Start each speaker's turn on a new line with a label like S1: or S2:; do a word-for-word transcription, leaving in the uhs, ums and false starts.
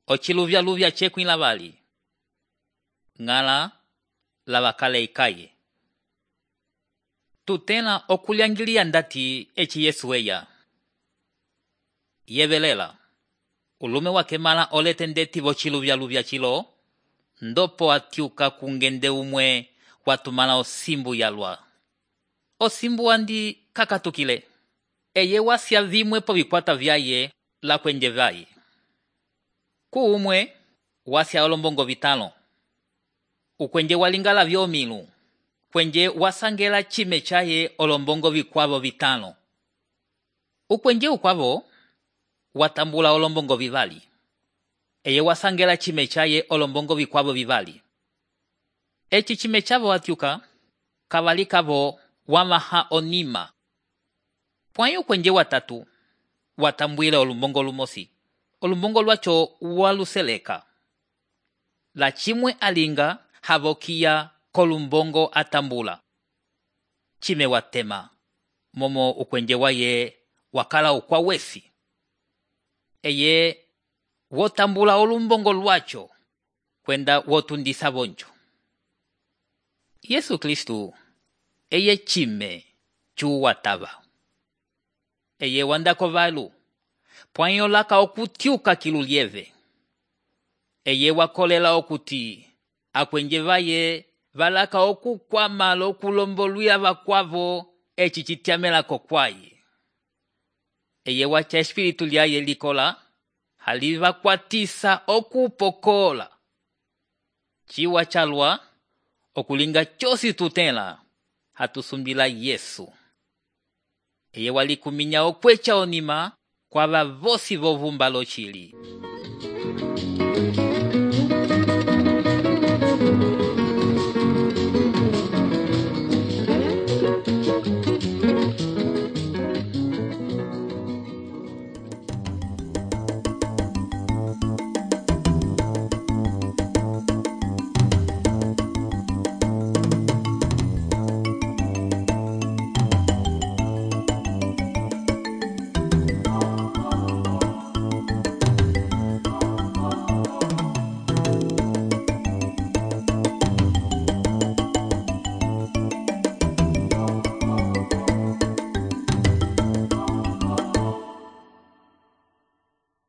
S1: ociluvya-luvya cekwĩ lavali. Ng'ala lavakale ikaye. Tutẽla okulyangiliya ndati eci Yesu eya. Yevelela. Ulume wakemala olete ndeti vociluvya-luvya cilo, ndopo atyuka kungende umwe watumala osimbu yalwa. Osimbu andi kakatukile. Eye wasya vimwe po vikwata vyaye la kwenje vaye. Ku umwe wasya olombongo vitalo. Ukwenje walingala vyomilu. Kwenje wasangela chime chaye olombongo vikwavo vitalo. Ukwenje ukwavo watambula olombongo vivali. Eye wasangela chime chaye olombongo vikwavo vivali. Eci chime chavo atyuka, kavali kavo wamaha onima. Pwayo ukwenje watatu, watambwile olumbongo lumosi. Olumbongo lwacho waluseleka. La chimwe alinga havokia kolumbongo atambula. Chime watema, momo ukwenje waye wakala ukwa wesi. Eye wotambula olumbongo lwacho kwenda wotundisa bonjo. Yesu Kristu eye chime chu watava. Eye wandako valu, pwanyo laka okutyuka kilulieve. Eye wakolela okuti, akwenje vaye valaka okukwama lokulombolwia vakwavo eci citiamela kokwaye. Eye wacha espiritu lyaye likola, haliva kwatisa okupokola. Chiwa chalwa, okulinga chosi tutela, hatusumbila Yesu. Eye walikuminya okwecha onima, kwa vavosi vovumba lochili.